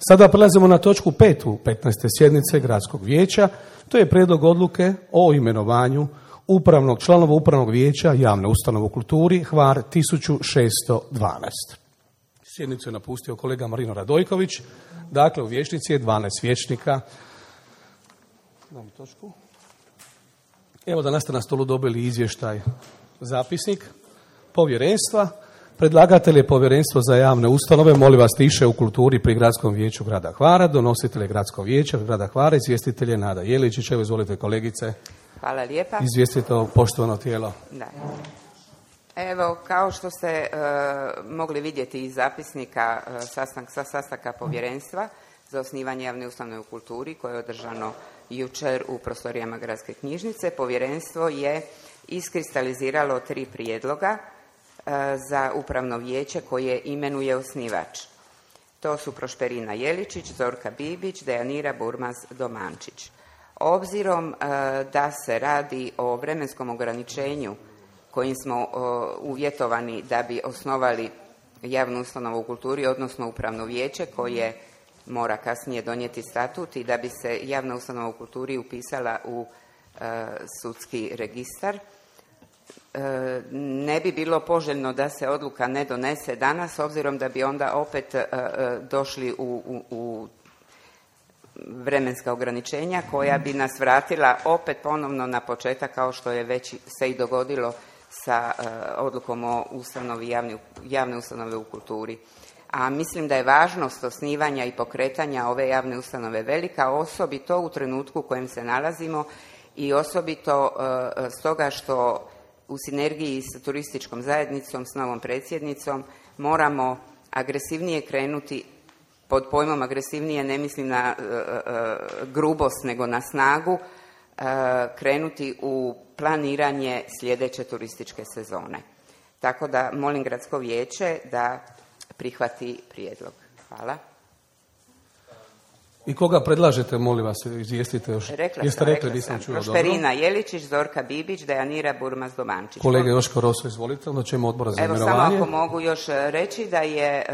Sada prelazimo na točku 5. 15. sjednice Gradskog vijeća. To je prijedlog odluke o imenovanju članova upravnog vijeća javne ustanove u kulturi Hvar 1612. Sjednicu je napustio kolega Marino Radojković. Dakle, u vijećnici je 12 vijećnika. Evo danas ste na stolu dobili izvještaj, zapisnik povjerenstva. Predlagatelj je Povjerenstvo za javne ustanove, molim vas tiše u kulturi pri Gradskom vijeću grada Hvara, donositelj je Gradskog vijeća grada Hvara, izvjestitelj je Nada Jeličić. Evo, izvolite kolegice. Hvala lijepa. Izvijestite o poštovano tijelo. Da. Evo, kao što ste mogli vidjeti iz zapisnika sa sastanka Povjerenstva za osnivanje javne ustanove u kulturi koje je održano jučer u prostorijama Gradske knjižnice, Povjerenstvo je iskristaliziralo 3 prijedloga za upravno vijeće koje imenuje osnivač. To su Prošperina Jeličić, Zorka Bibić, Dejanira Burmaz-Domančić. Obzirom da se radi o vremenskom ograničenju kojim smo uvjetovani da bi osnovali javnu ustanovu u kulturi, odnosno upravno vijeće koje mora kasnije donijeti statut i da bi se javna ustanova u kulturi upisala u sudski registar, ne bi bilo poželjno da se odluka ne donese danas, obzirom da bi onda opet došli u vremenska ograničenja koja bi nas vratila opet ponovno na početak, kao što je već se i dogodilo sa odlukom o ustanovi javne ustanove u kulturi. A mislim da je važnost osnivanja i pokretanja ove javne ustanove velika, osobito u trenutku u kojem se nalazimo i osobito stoga što u sinergiji s turističkom zajednicom, s novom predsjednicom, moramo agresivnije krenuti. Pod pojmom agresivnije ne mislim na grubost, nego na snagu, krenuti u planiranje sljedeće turističke sezone. Tako da molim Gradsko vijeće da prihvati prijedlog. Hvala. I koga predlažete, molim vas, izvijestite još? Rekla sam. Prošperina Jeličić, Zorka Bibić, Dejanira Burmaz-Domančić. Kolega Joško Roso, izvolite, onda ćemo odbora za imenovanje. Evo, samo ako mogu još reći da je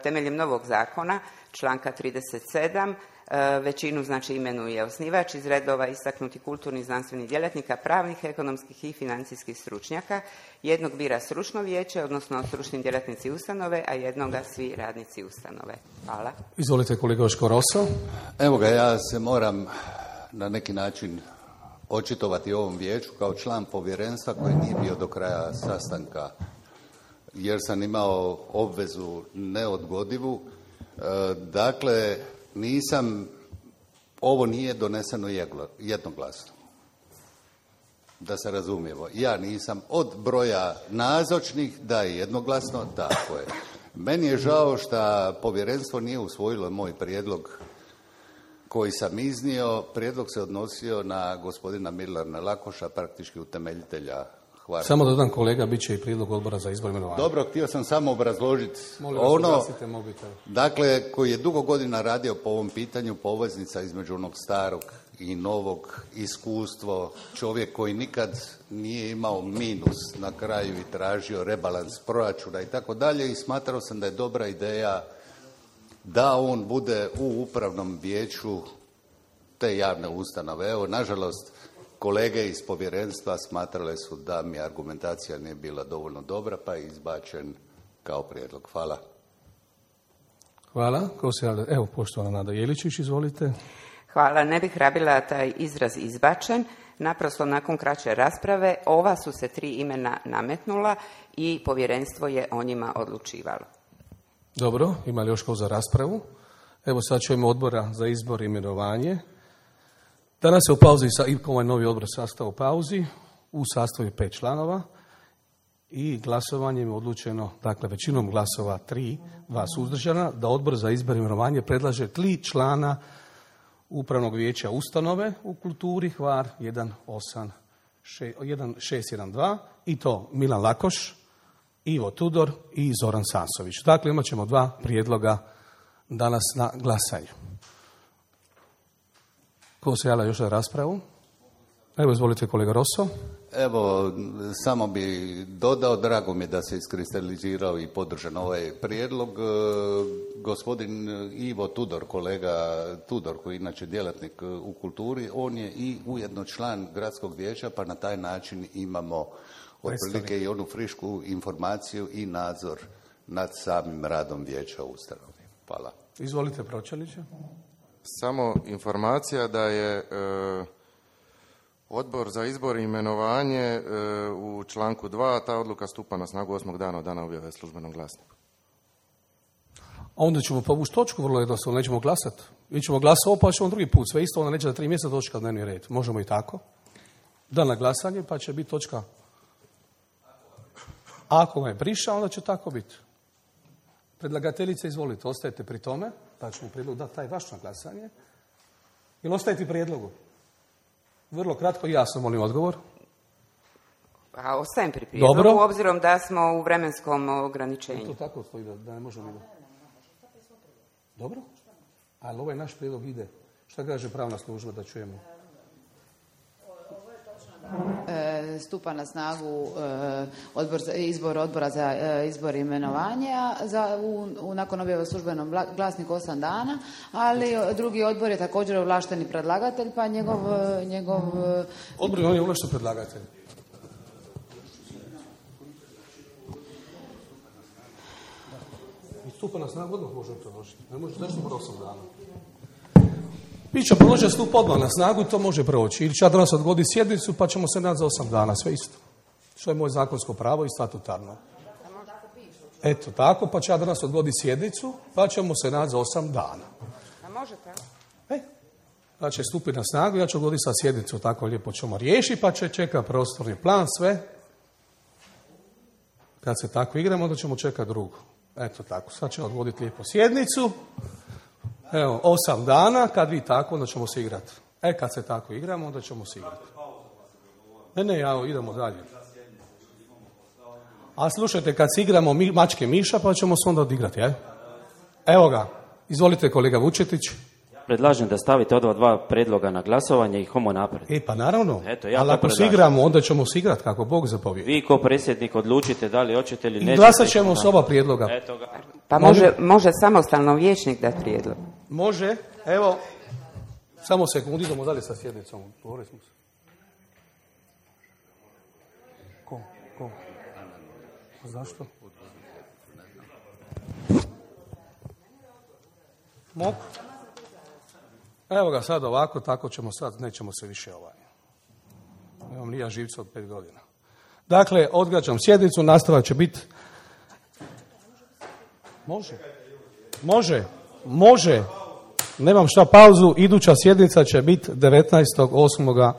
temeljem novog zakona, članka 37, većinu znači imenuje osnivač iz redova istaknutih kulturnih, znanstvenih djelatnika, pravnih, ekonomskih i financijskih stručnjaka. Jednog bira stručno vijeće, odnosno stručni djelatnici ustanove, a jednoga svi radnici ustanove. Hvala. Izvolite kolega Joško Roso. Evo ga, ja se moram na neki način očitovati ovom vijeću kao član povjerenstva koji nije bio do kraja sastanka, jer sam imao obvezu neodgodivu. Dakle, ovo nije doneseno jednoglasno. Da se razumijemo. Ja nisam od broja nazočnih da je jednoglasno, tako je. Meni je žao što povjerenstvo nije usvojilo moj prijedlog koji sam iznio. Prijedlog se odnosio na gospodina Milana Lakoša, praktički utemeljitelja Hvara. Samo dodam kolega, bit će i prijedlog odbora za izbor imenovanja. Dobro, htio sam samo obrazložiti dakle, koji je dugo godina radio po ovom pitanju, poveznica između onog starog i novog, iskustvo, čovjek koji nikad nije imao minus na kraju i tražio rebalans proračuna i tako dalje, i smatrao sam da je dobra ideja da on bude u upravnom vijeću te javne ustanove. Evo, nažalost, kolege iz povjerenstva smatrale su da mi argumentacija nije bila dovoljno dobra, pa je izbačen kao prijedlog. Hvala. Hvala. Evo, poštovana Nada Jeličić, izvolite. Hvala. Ne bih rabila taj izraz izbačen. Naprosto nakon kraće rasprave ova su se 3 imena nametnula i povjerenstvo je o njima odlučivalo. Dobro, ima li još ko za raspravu? Evo sad ćemo odbora za izbor i imenovanje. Danas je u pauzi, ovaj novi odbor sastav u pauzi, u sastavu 5 članova i glasovanjem je odlučeno, dakle većinom glasova 3, 2 suzdržana, da odbor za izbor i imenovanje predlaže 3 člana upravnog vijeća ustanove u kulturi Hvar 1612 i to Milan Lakoš, Ivo Tudor i Zoran Sansović. Dakle, imat ćemo 2 prijedloga danas na glasanju. Ko se javlja još za raspravu? Evo, izvolite kolega Rosso. Evo, samo bi dodao, drago mi je da se iskristalizirao i podržan ovaj prijedlog. Gospodin Ivo Tudor, kolega Tudor, koji je inače djelatnik u kulturi, on je i ujedno član gradskog vijeća, pa na taj način imamo otprilike i onu frišku informaciju i nadzor nad samim radom vijeća u ustanovi. Hvala. Izvolite, pročelniče. Samo informacija da je Odbor za izbor i imenovanje u članku 2, ta odluka stupa na snagu 8. dana od dana objave u službenom glasniku. A onda ćemo povući točku, vrlo jednostavno, nećemo glasati. Mi ćemo glasati, pa ćemo drugi put. Sve isto, onda neće za 3 mjeseca točka dnevni red. Možemo i tako. Da na glasanje, pa će biti točka. Ako je prišao, onda će tako biti. Predlagateljice, izvolite, ostajete pri tome, pa ćemo prijedlog dati taj vaš na glasanje. Ili ostajete prijedlogu? Vrlo kratko i jasno, molim odgovor. A ostajem pri prijedlogu, Dobro. obzirom da smo u vremenskom ograničenju. To tako stoji da ne možemo ide. Dobro? Ali ovaj naš prijedlog ide. Šta kaže pravna služba da čujemo? Stupa na snagu izbor odbora za izbor i imenovanje nakon objave u službenom glasniku 8 dana, ali drugi odbor je također ovlašteni predlagatelj, pa njegov Odbor je ovlašten predlagatelj. I stupa na snagu odmah možemo predložiti. Ne može, zašto mora 8 dana? Mi ćemo predložiti stup odmah na snagu, to može proći. Ili će ja danas odgoditi sjednicu, pa ćemo se naći za 8 dana, sve isto. Što je moje zakonsko pravo i statutarno. Eto tako, pa će ja danas odgoditi sjednicu, pa ćemo se naći za 8 dana. A može tako? Pa će stupiti na snagu, ja ću odgoditi sa sjednicu, tako lijepo ćemo riješiti, pa će čekati prostorni plan, sve. Kad se tako igramo, onda ćemo čekati drugu. Eto tako, sad ćemo odgoditi lijepo sjednicu. Evo, 8 dana, kad vi tako, onda ćemo se igrati. Kad se tako igramo, onda ćemo se igrati. Ne, idemo dalje. A slušajte, kad se igramo mačke miša, pa ćemo se onda odigrati, Evo ga, izvolite kolega Vučetić. Predlažem da stavite ova 2 predloga na glasovanje i homo naprijed. Pa naravno, Eto, ja ali ako se igramo, onda ćemo se igrati kako Bog zapovijedi. Vi ko predsjednik odlučite da li hoćete ili nećete. I glasat ćemo s oba prijedloga. Eto ga. Pa može samostalno vijećnik dati prijedlog. Može, evo, samo sekundu, idemo dalje sa sjednicom. Govorili smo se. Ko? Zašto? Mogu? Evo ga sad ovako, tako ćemo sad, nećemo se više Nemam ni ja živca od 5 godina. Dakle, odgađam sjednicu, nastavak će biti... Može. Nemam šta pauzu, iduća sjednica će biti 19.8.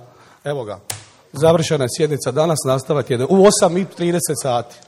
Evo ga, završena je sjednica danas, nastavak je u 8:30 sati.